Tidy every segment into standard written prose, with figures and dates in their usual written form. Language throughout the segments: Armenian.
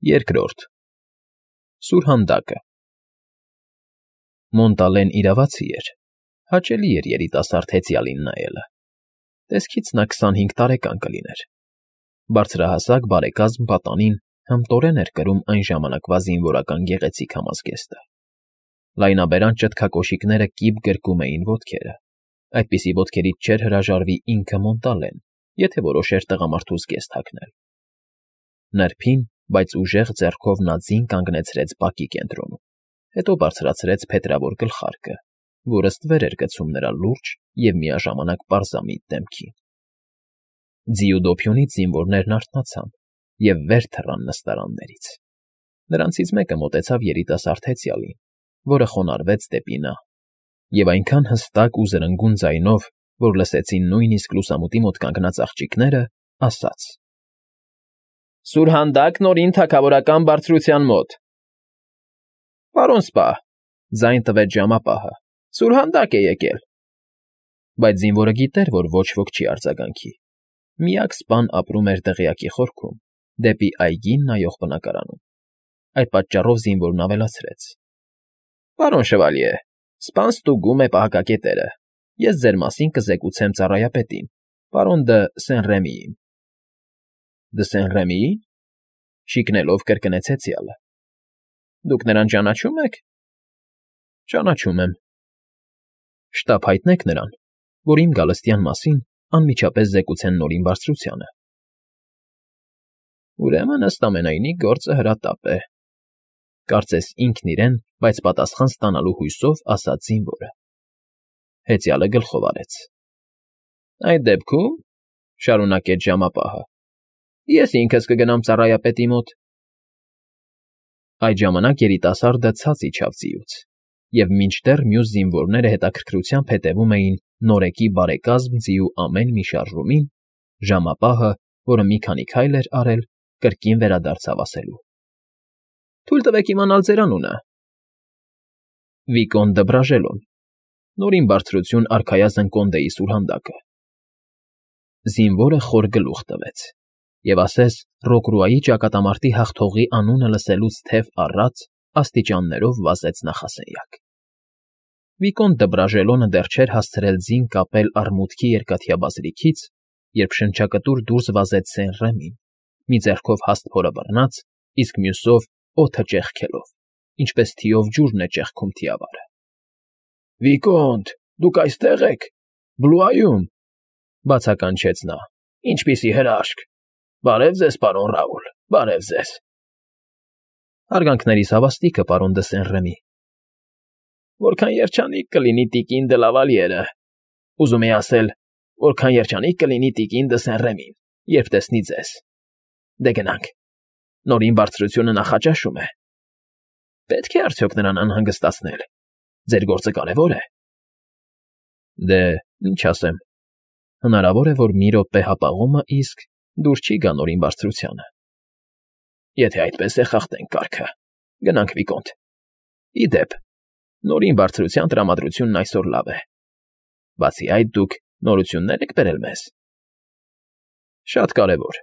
Երկրորդ Սուրհանդակը Մոնտալեն իրավացի էր, հաճելի էր երիտասարդ հեծյալին նայելը, տեսքից նա 25 տարեկան կլիներ, բարձրահասակ բարեկազմ պատանին հմտորեն էր կրում այն ժամանակվա զինվորական գեղեցիկ համազգեստը, լայնաբերան ճտկակոշիկները կիպ գրկում էին ոտքերը, այդպիսի ոտքերից չէր հրաժարվի ինքը Մոնտալեն, եթե որոշեր տղամարդու զգեստ հագնել, նրբին, բայց ուժեղ ձեռքով նա ձին կանգնեցրեց բակի կենտրոնում, հետո բարձրացրեց փետրավոր գլխարկը, որը ստվեր էր գցում նրա լուրջ և միաժամանակ պարզամիտ դեմքին։ Ձիու դոփյունից զինվորներն արթնացան և վեր թռան նստարաններից։ Նրանցից մեկը մոտեցավ երիտասարդ հեծյալին, որը խոնարհվեց դեպի նա, և այնքան հստակ ու զրնգուն ձայնով, որ լսեցին նույնիսկ լուսամուտի մոտ կանգնած աղջիկները, ասաց. «Սուրհանդակ Նորին թագավորական բարձրության մոտ»։ «Պարոն սպա», ձայն տվեց ժամապահը, «Սուրհանդակ է եկել»։ Բայց զինվորը գիտեր, որ ոչ ոք չի արձագանքի։ Միակ սպան ապրում էր դղյակի խորքում, դեպի այգին նայող բնակարանում։ Այդ պատճառով զինվորն ավելացրեց. «Պարոն շվալյե, սպան ստուգում է պահակակետերը, ես ձեր մասին կզեկուցեմ ծառայապետին, պարոն դը Սեն֊Ռեմիին»։ «Դը Սեն֊Ռեմիի՞ն», շիկնելով կրկնեց հեծյալը։ «Դուք նրան ճանաչում եք»։ «Ճանաչում եմ»։ «Շտապ հայտնեք նրան, որ իմ գալստյան մասին անմիջապես զեկուցեն Նորին բարձրությանը»։ «Ուրեմն, ըստ ամենայնի, գործը հրատապ է», կարծես ինքն իրեն, բայց պատասխան ստանալու հույսով ասաց զինվորը։ Հեծյալը գլխով արեց։ «Այդ դեպքում,֊ շարունակեց ժամապահը,֊ ես ինքս կգնամ ծառայապետի մոտ»։ Այդ ժամանակ երիտասարդը ցած իջավ ձիուց, և մինչդեռ մյուս զինվորները հետաքրքրությամբ հետևում էին նորեկի բարեկազմ ձիու ամեն մի շարժումին, ժամապահը, որը մի քանի քայլ էր արել, կրկին վերադարձավ ասելու. «Թույլ տվեք իմանալ ձեր անունը»։ «Վիկոն դը Բրաժելոն, Նորին բարձրություն արքայազն Կոնդեի սուրհանդակը»։ Զինվորը խոր գլուխ տվեց և ասես Ռոկրուայի ճակատամարտի հաղթողի անունը լսելուց թև առած աստիճաններով վազեց նախասենյակ։ Վիկոն դը Բրաժելոնը դեռ չէր հասցրել ձին կապել արմուտքի երկաթյա բազրիքից, երբ շնչակտուր դուրս վազեց Սեն֊Ռեմին, մի ձեռքով հաստ փորը բռնած, իսկ մյուսով օդը ճեղքելով, ինչպես թիով ջուրն է ճեղքում թիավարը։ «Վիկոնտ, դուք այստեղ եք, Բլուայում,֊ բացականչեց նա։֊ Ինչպիսի հրաշք… Բարև ձեզ, պարոն Ռաուլ, բարև ձեզ»։ «Հարգանքներիս հավաստիքը, պարոն դը Սեն֊Ռեմի»։ «Որքան երջանիկ կլինի տիկին դը Լավալիերը, ուզում էի ասել, որքան երջանիկ կլինի տիկին դը Սեն֊Ռեմին, երբ տեսնի ձեզ։ Դե գնանք, Նորին բարձրությունը նախաճաշում է։ Պետք է արդյոք նրան անհանգստացնել, ձեր գործը կարևոր է»։ «Դե, ինչ ասեմ, հնարավոր է, որ մի րոպե հապաղումը իսկ դուր չի գա Նորին բարձրությանը»։ «Եթե այդպես է, խախտենք կարգը։ Գնանք, Վիկոնտ։ Ի դեպ, Նորին բարձրության տրամադրությունն այսօր լավ է։ Բացի այդ, դուք նորություններ եք բերել մեզ»։ «Շատ կարևոր»։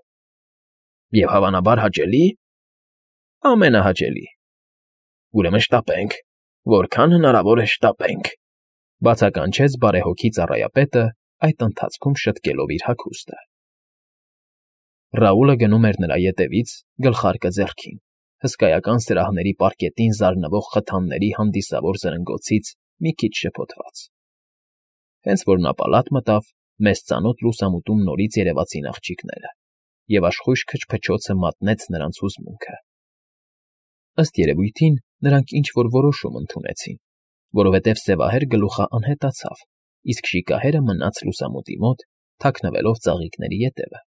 «Եվ հավանաբար հաճելի»։ «Ամենահաճելի»։ «Ուրեմն շտապենք, որքան հնարավոր է շտապենք», բացականչեց բարեհոգի ծառայապետը, այդ ընթացքում շտկելով իր հագուստը։ Ռաուլը գնում էր նրա ետևից, գլխարկը ձեռքին, հսկայական սրահների պարկետին զարնվող խթանների հանդիսավոր զրնգոցից մի քիչ շփոթված։ Հենց որ նա պալատ մտավ, մեզ ծանոթ լուսամուտում նորից երևացին աղջիկները, և աշխույժ քչփչոցը մատնեց նրանց հուզմունքը։ Ըստ երևույթին, նրանք ինչ֊որ որոշում ընդունեցին, որովհետև սևահեր գլուխը անհետացավ, իսկ շիկահերը մնաց լուսամուտի մոտ, թաքնվելով ծաղիկների ետևը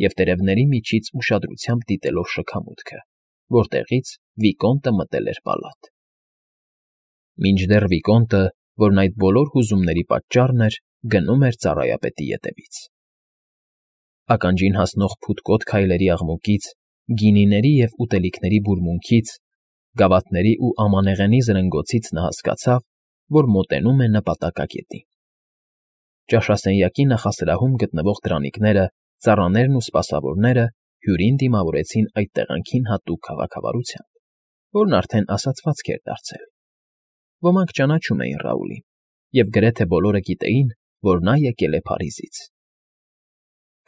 և տերևների միջից ուշադրությամբ դիտելով շքամուտքը, որտեղից Վիկոնտը մտել էր պալատ։ Մինչդեռ Վիկոնտը, որն այդ բոլոր հուզումների պատճառն էր, գնում էր ծառայապետի ետևից։ Ականջին հասնող փութկոտ քայլերի աղմուկից, գինիների և ուտելիքների բուրմունքից, գավաթների ու ամանեղենի զրնգոցից նա հասկացավ, որ մոտենում է նպատակակետին։ Ճաշասենյակի նախասրահում գտնվող դրանիկները, ծառաներն ու սպասավորները հյուրին դիմավորեցին այդ տեղանքին հատուկ քաղաքավարությամբ, որն արդեն ասացվածք էր դարձել։ Ոմանք ճանաչում էին Ռաուլին, և գրեթե բոլորը գիտեին, որ նա եկել է Փարիզից։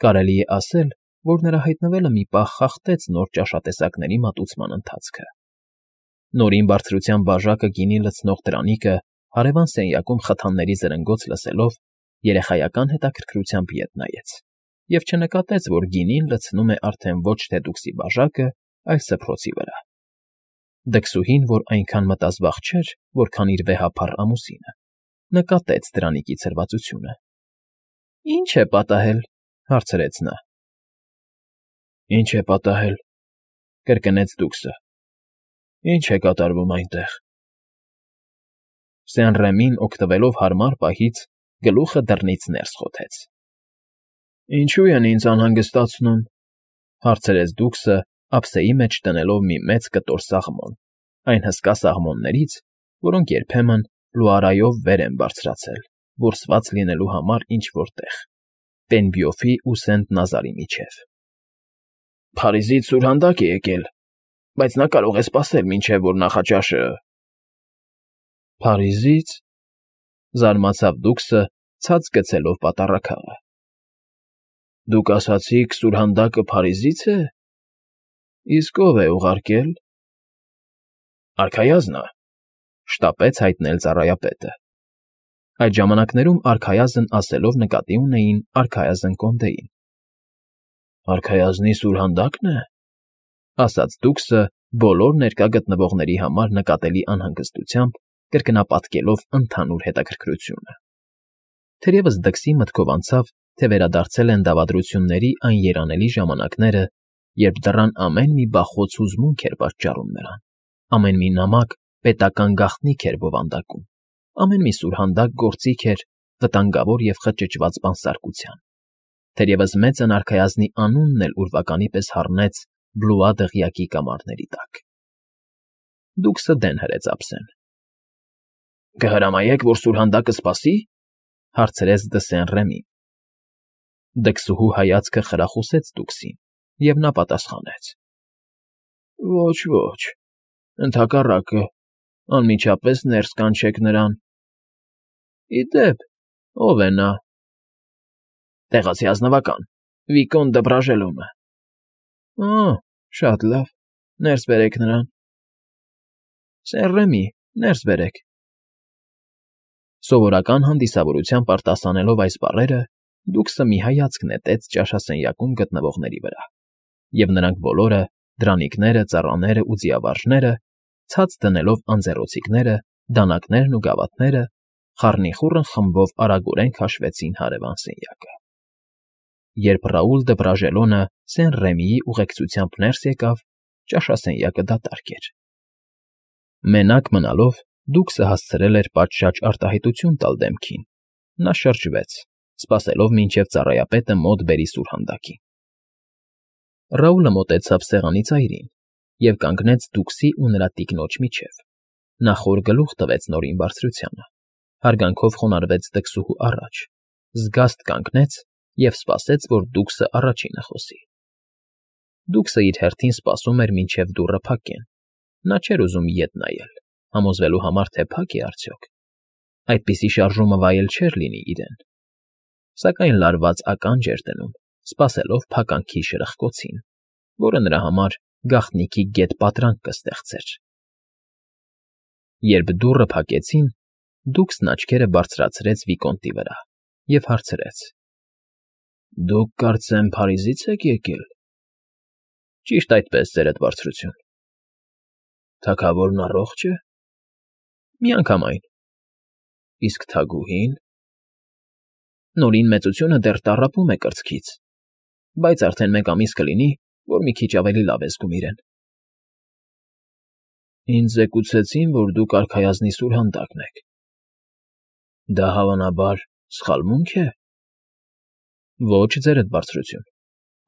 Կարելի է ասել, որ նրա հայտնվելը մի պահ խախտեց նոր ճաշատեսակների մատուցման ընթացքը։ Նորին բարձրության բաժակը գինի լցնող դրանիկը հարևան սենյակում խթանների զրնգոց լսելով երեխայական հետաքրքրությամբ ետ նայեց և չնկատեց, որ գինին լցնում է արդեն ոչ թե դուքսի բաժակը, այլ սփռոցի վրա։ Դքսուհին, որ այնքան մտազբաղ չէր, որքան իր վեհափառ ամուսինը, նկատեց դրանիկի ցրվածությունը։ ֊ Ի՞նչ է պատահել,֊ հարցրեց նա։ ֊ Ի՞նչ է պատահել,֊ կրկնեց դուքսը։ ֊ Ի՞նչ է կատարվում այնտեղ։ Սեն-Ռեմին, օգտվելով հարմար պահից, գլուխը դռնից ներս խոթեց։ ֊ Ինչո՞ւ են ինձ անհանգստացնում,֊ հարցրեց դուքսը, ափսեի մեջ դնելով մի մեծ կտոր սաղմոն, այն հսկա սաղմոններից, որոնք երբեմն լուարայով վեր են բարձրացել, որսված լինելու համար ինչ֊որ տեղ, Պենբյոֆի ու Սենտ֊Նազարի միջև։ ֊ Փարիզից սուրհանդակ է եկել, բայց նա կարող է սպասել, մինչև որ նախաճաշը… ֊ Փարիզի՞ց,֊ զարմացավ դուքսը, ցած գցելով պատառաքաղը։ ֊ Դուք ասացիք սուրհանդակը Փարիզից է… Իսկ ո՞վ է ուղարկել։ ֊ Արքայազնը,֊ շտապեց հայտնել ծառայապետը։ Այդ ժամանակներում արքայազն ասելով նկատի ունեին արքայազն Կոնդեին։ ֊ Արքայազնի սուրհանդա՞կն է,֊ ասաց դուքսը, բոլոր ներկա գտնվողների համար նկատելի անհանգստությամբ կրկնապատկելով ընդհանուր հետաքրքրությունը։ Թերևս դքսի մտքով անցավ, թե վերադարձել են դավադրությունների այն երանելի ժամանակները, երբ դռան ամեն մի բախոց հուզմունք էր պատճառում նրան, ամեն մի նամակ պետական գաղտնիք էր բովանդակում, ամեն մի սուրհանդակ գործիք էր վտանգավոր և խճճված բանսարկության։ Թերևս մեծն արքայազնի անունն էլ ուրվականի պես հառնեց Բլուա դղյակի կամարների տակ։ Դուքսը դեն հրեց ափսեն։ ֊ Կհրամայեք, որ սուրհանդակը սպասի,֊ հարցրեց Դը Սեն-Ռեմին։ Դքսուհու հայացքը խրախուսեց դուքսին, և նա պատասխանեց. ֊ Ոչ, ոչ, ընդհակառակը, անմիջապես ներս կանչեք նրան։ ֊ Ի դեպ, ո՞վ է նա։ ֊ Տեղացի ազնվական, Վիկոն դը Բրաժելոնը։ ֊ Շատ լավ, ներս բերեք նրան։ ֊ Սեն-Ռեմի, ներս բերեք։ Սովորական հանդիսավորությամբ արտասանելով այս բառերը, դուքսը մի հայացք նետեց ճաշասենյակում գտնվողների վրա, և նրանք բոլորը, դրանիկները, ծառաները ու ձիավարժները, ցած դնելով անձեռոցիկները, դանակներն ու գավաթները, խառնիխուռն խմբով արագորեն քաշվեցին հարևան սենյակը։ Երբ Ռաուլ դը Բրաժելոնը Սեն-Ռեմիի ուղեկցությամբ ներս եկավ, ճաշասենյակը դատարկ էր։ Մենակ մնալով դուքսը հասցրել էր պատշաճ արտահայտություն տալ դեմքին։ Նա շրջվեց, սպասելով, մինչև ծառայապետը մոտ բերի սուրհանդակին։ Ռաուլը մոտեցավ սեղանի ծայրին և կանգնեց դուքսի ու նրա տիկնոջ միջև։ Նա խոր գլուխ տվեց Նորին բարձրությանը, հարգանքով խոնարհվեց դքսուհու առաջ, զգաստ կանգնեց և սպասեց, որ դուքսը առաջինը խոսի։ Դուքսը իր հերթին սպասում էր, մինչև դուռը փակեն։ Նա չէր ուզում ետ նայել, համոզվելու համար, թե փակ է արդյոք։ Այդպիսի շարժումը վայել չէր լինի իրեն։ Սակայն լարված ականջ էր դնում, սպասելով փականքի շրխկոցին, որը նրա համար գաղտնիքի գետ պատրանք կստեղծեր։ Երբ դուռը փակեցին, դուքսն աչքերը բարձրացրեց Վիկոնտի վրա և հարցրեց. ֊ Դուք, կարծեմ, Փարիզից եք եկել։ ֊ Ճիշտ այդպես, Ձերդ Բարձրություն։ ֊ Թագավորն առողջ է։ ֊ Միանգամայն։ ֊ Իսկ թագուհի՞ն։ ֊ Նորին մեծությունը դեռ տառապում է կրծքից, բայց արդեն 1 ամիս կլինի, որ մի քիչ ավելի լավ է զգում իրեն։ ֊ Ինձ զեկուցեցին, որ դուք արքայազնի սուրհանդակն եք։ Դա, հավանաբար, սխալմունք է։ ֊ Ոչ, Ձերդ Բարձրություն,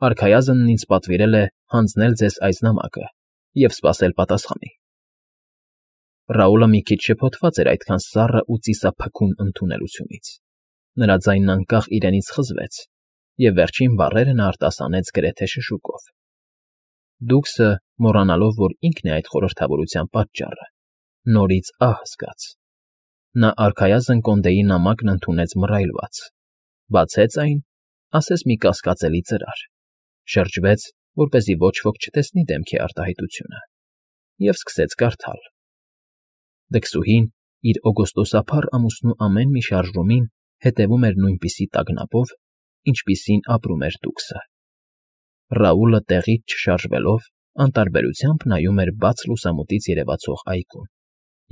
արքայազնն ինձ պատվիրել է հանձնել ձեզ այս նամակը և սպասել պատասխանի։ Ռաուլը մի քիչ շփոթված էր այդքան սառը ու ծիսափքուն ընդունելությունից։ Նրա ձայնն անկախ իրենից խզվեց, և վերջին բառերը նա արտասանեց գրեթե շշուկով։ Դուքսը, մոռանալով, որ ինքն է այդ խորհրդավորության պատճառը, նորից ահ զգաց. նա արքայազն կոնդեի նամակն ընդունեց մռայլված, բացեց այն, ասես մի կասկածելի ծրար, շրջվեց, որպեսզի ոչ ոք չտեսնի դեմքի արտահայտությունը, և սկսեց կարդալ. Դքսուհին իր օգոստոսափառ ամուսնու ամեն մի շարժումին հետևում էր նույնպիսի տագնապով, ինչպիսին ապրում էր Դուքսը։ Ռաուլը տեղից չշարժվելով անտարբերությամբ նայում էր բաց լուսամուտից երևացող այգուն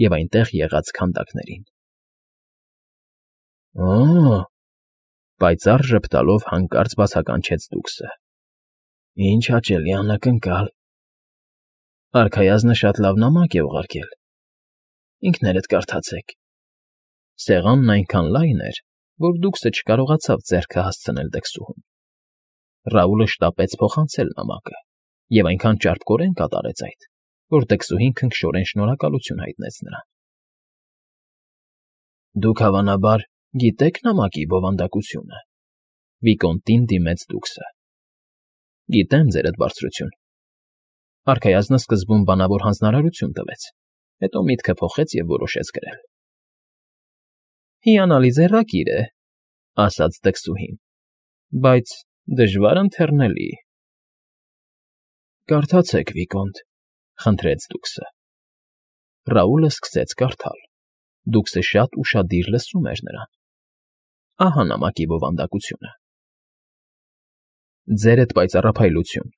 և այնտեղ եղած քանդակներին։ «Օ՜», պայծառ ժպտալով հանկարծ բացականչեց Դուքսը։ «Ինչ հաճելի անակնկալ։ Արքայազնը շատ լավ նամակ է ուղարկել։ Ինքներդ կարդացեք»։ Սեղանն այնքան լայն էր, որ Դուքսը չկարողացավ ձեռքը հասցնել դքսուհուն։ Ռաուլը շտապեց փոխանցել նամակը և այնքան ճարպկորեն կատարեց այդ, որ դքսուհին քնքշորեն շնորհակալություն հայտնեց նրան։ «Դուք, հավանաբար, գիտեք նամակի բովանդակությունը,֊ վիկոնտին դիմեց Դուքսը։ Գիտեմ, ձերդ բարձրություն։ Արքայազնը սկզբում բանավոր հանձնարարություն տվեց, հետո միտքը փոխեց և որոշեց գրել։ Հիանալի ձեռագիր է,֊ ասաց դքսուհին,֊ բայց դժվար ընթեռնելի։ Կարդացեք, վիկոնտ,֊ խնդրեց Դուքսը։ Ռաուլը սկսեց կարդալ։ Դուքսը շատ ուշադիր լսում էր նրան։ Ահա նամակի բովանդակությունը. Ձերդ պայծառափայլություն,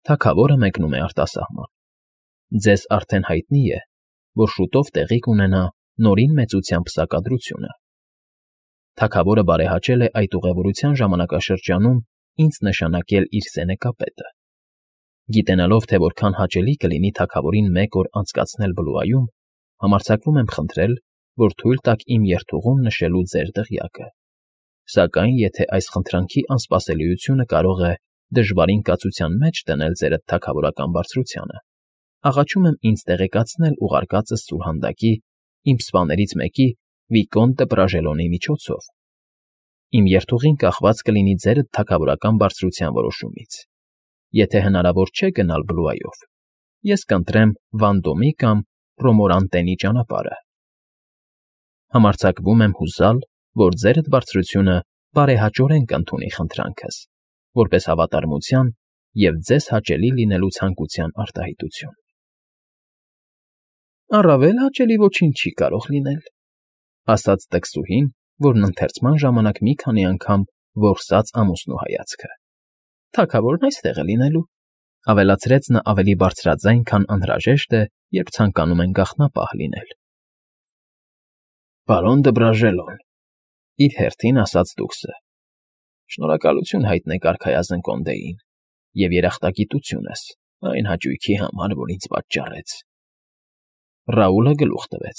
թագավորը մեկնում է արտասահման։ Ձեզ արդեն հայտնի է, որ շուտով տեղի կունենա Նորին մեծությամբ սակադրությունը։ Թագավորը բարեհաճել է այդ ուղևորության ժամանակաշրջանում ինձ նշանակել իր սենեկապետը։ Գիտենալով, թե որքան հաճելի կլինի թագավորին մեկ օր անցկացնել Բլուայում, համարձակվում եմ խնդրել, որ թույլ տաք իմ երթուղում նշելու ձեր դղյակը։ Սակայն, եթե այս խնդրանքի անսպասելիությունը կարող է դժվարին կացության մեջ դնել ձերդ թագավորական բարձրությանը, աղաչում եմ ինձ տեղեկացնել ուղարկածս սուրհանդակի, իմ սպաներից մեկի Վիկոնտ դը Պրաժելոնի միջոցով։ Իմ երթուղին կախված կլինի ձերդ թագավորական բարձրության որոշումից։ Եթե հնարավոր չէ գնալ Բլուայով, ես կընտրեմ Վանդոմի կամ Ռոմորանտենի ճանապարհը։ Համարձակվում եմ հուսալ, որ ձերդ բարձրությունը բարեհաճորեն կընդունի խնդրանքս, որպես հավատարմության և ձեզ հաճելի լինելու ցանկության արտահայտություն։ Առավել հաճելի ոչինչ չի կարող լինել,֊ ասաց դքսուհին, որն ընթերցման ժամանակ մի քանի անգամ որսաց ամուսնու հայացքը։ Թագավորն այստեղ է լինելու,֊ ավելացրեց նա ավելի բարձրաձայն, քան անհրաժեշտ է, երբ ցանկանում են գաղտնապահ լինել։ Պարոն դը Պրաժելոն,֊ իր հերթին ասաց Դուքսը,֊ շնորհակալություն հայտնեք արքայազն կոնդեին և երախտագիտությունս այն հաճույքի համար, որ ինձ պատճառեց։ Ռաուլը գլուխ տվեց։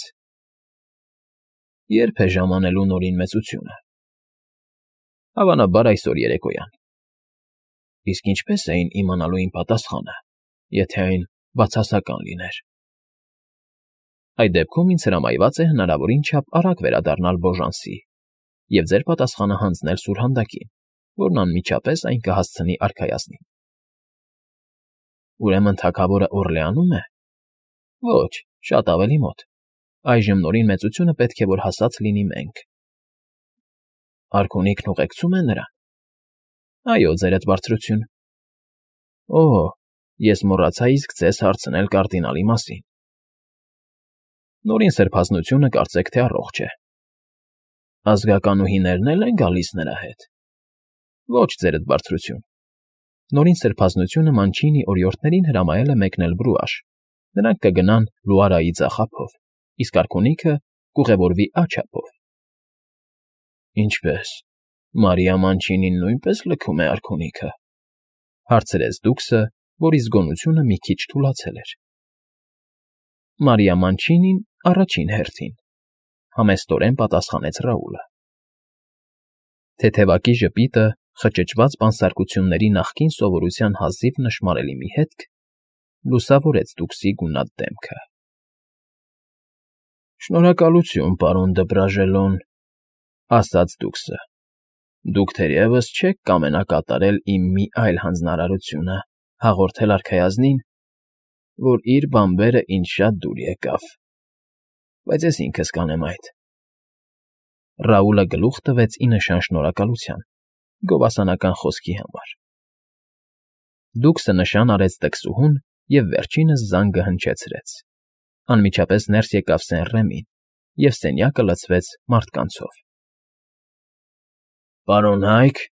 Ե՞րբ է ժամանելու Նորին մեծությունը։ Հավանաբար այսօր երեկոյան։ Իսկ ինչպե՞ս էին իմանալու իմ պատասխանը, եթե այն բացասական լիներ։ Այդ դեպքում ինձ հրամայված է հնարավորին չափ արագ վերադառնալ Բոժանսի և ձեր պատասխանը հանձնել սուրհանդակին, որն անմիջապես այն կհասցնի արքայազնին։ Ուրեմն թագավորը Օռլեանում է։ Ոչ, շատ ավելի մոտ։ Այժմ Նորին մեծությունը պետք է որ հասած լինի մենք։ Արքունիքն ուղեկցում է նրան։ Այո, ձերդ բարձրություն։ Օ, ես մոռացա իսկ ձեզ հարցնել կարդինալի մասին։ Նորին սրբազնությունը կարծեք թե առողջ է։ Ազգականուհիներն էլ են գալիս նրա հետ։ Ոչ, ձերդ բարձրություն։ Նորին սրբազնությունը Մանչինի օրիորդներին հրամայել է մեկնել Բրուաշ։ Նրանք կգնան Լուարայի ձախափով, իսկ արքունիքը կուղևորվի աջափով։ Ինչպե՞ս, Մարիա Մանչինին նույնպես լքում է արքունիքը,֊ հարցրեց Դուքսը, որի զգոնությունը մի քիչ թուլացել էր։ Մարիա Մանչինին առաջին հերթին,֊ համեստորեն պատասխանեց Ռաուլը։ Թեթևակի ժպիտը, խճճված բանսարկությունների նախկին սովորության հազիվ նշմարելի մի հետք լուսավորեց Դուքսի գունատ դեմքը։ Շնորհակալություն, պարոն դը Պրաժելոն,֊ ասաց Դուքսը։ Դուք թերևս չեք կամենա կատարել իմ մի այլ հանձնարարությունը հաղորդել արքայազնին, որ իր բանբերը ինձ շատ դուր եկավ, բայց ես ինքս կանեմ այդ։ Ռաուլը գլուխ տվեց ի նշան շնորհակալության գովասանական խոսքի համար։ Դուքսը նշան արեց տքսուհուն և վերջինս զանգը հնչեցրեց։ Անմիջապես ներս եկավ Սեն-Ռեմին, և սենյակը լցվեց մարդկանցով։ «Պարոն Հայք,֊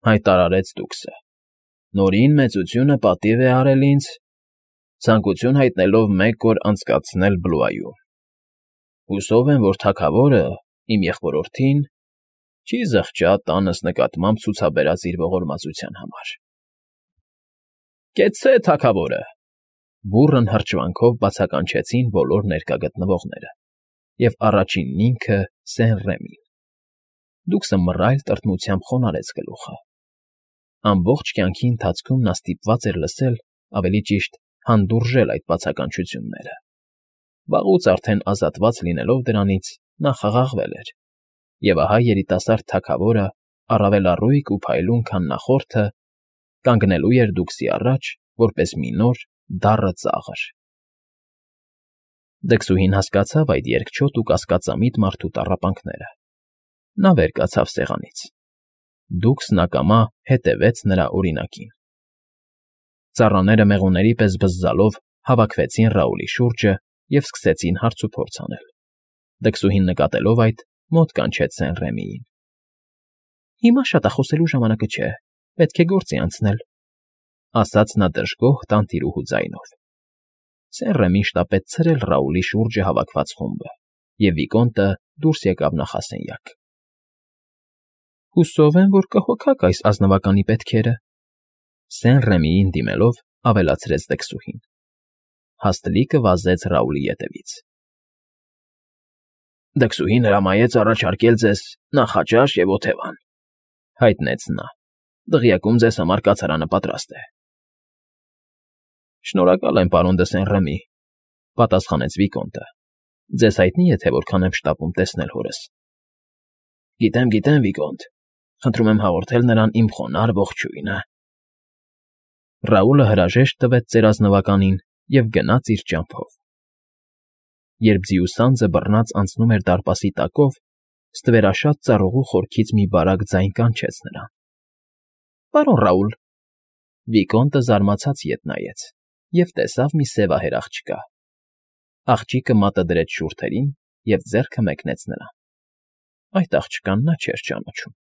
հայտարարեց դուքսը,֊ Նորին մեծությունը պատիվ է արել ինձ, ցանկություն հայտնելով 1 օր անցկացնել Բլուայում։ Հուսով եմ, որ թագավորը, իմ եղբորորդին, չի զղջա տանս նկատմամբ ցուցաբերած իր ողորմածության համար»։ «Կեցցե թագավորը,֊ բուռն հրճվանքով բացականչեցին բոլոր ներկա գտնվողները, և առաջինն ինքը՝ Սեն֊Ռեմին։ Դուքսը մռայլ տրտմությամբ խոնարհեց գլուխը։ Ամբողջ կյանքի ընթացքում նա ստիպված էր լսել, ավելի ճիշտ, հանդուրժել այդ բացականչությունները։ Վաղուց արդեն ազատված լինելով դրանից՝ նա խաղաղվել էր, և ահա երիտասարդ թագավորը, առավել առույգ ու փայլուն, քան նախորդը, կանգնելու էր դուքսի առաջ, որպես մի նոր, դառը ծաղր։ Դքսուհին հասկացավ այդ երկչոտ ու կասկածամիտ մարդու տառապանքները։ Նա վեր կացավ սեղանից։ Դուքսն ակամա հետևեց նրա օրինակին։ Ծառաները մեղուների պես բզզալով հավաքվեցին Ռաուլի շուրջը և սկսեցին հարցուփորձ անել։ Դքսուհին նկատելով այդ, մոտ կանչեց Սեն-Ռեմիին։ «Հիմա շատախոսելու ժամանակը չէ, պետք է գործի անցնել,֊ ասաց նա դժգոհ տանտիրուհու ձայնով։ Սեն֊Ռեմին շտապեց ցրել Ռաուլի շուրջը հավաքված խումբը, և Վիկոնտը դուրս եկավ նախասենյակ։ «Հուսով եմ, որ կհոգաք այս ազնվականի պետքերը,֊ Սեն֊Ռեմիին դիմելով, ավելացրեց դքսուհին։ Հաստլիկը վազեց Ռաուլի ետևից։ «Դքսուհին հրամայեց առաջարկել ձեզ նախաճաշ և օթևան,֊ հայտնեց նա։ Դղյակում ձեզ համար կացարանը պատրաստ է»։ «Շնորհակալ եմ, պարոն դը Սեն-Ռեմի,֊ պատասխանեց Վիկոնտը։ Ձեզ հայտնի է, թե որքան եմ շտապում տեսնել հորս։ Գիտեմ, Վիկոնտ, խնդրում եմ հաղորդել նրան իմ խոնարհ ողջույնը»։ Ռաուլը հրաժեշտ տվեց ծերազնվականին և գնաց իր ճամփով։ Երբ ձիու սանձը բռնած անցնում էր դարպասի տակով, ստվերաշատ ծառուղու խորքից մի բարակ ձայն կանչեց նրան։ «Պարոն Ռաուլ…֊ Վիկոնտը զարմացած ետ նայեց և տեսավ մի սևահեր աղջկա։ Աղջիկը մատը դրեց շուրթերին և ձեռքը մեկնեց նրան։ Այդ աղջկան նա չէր ճանաչում։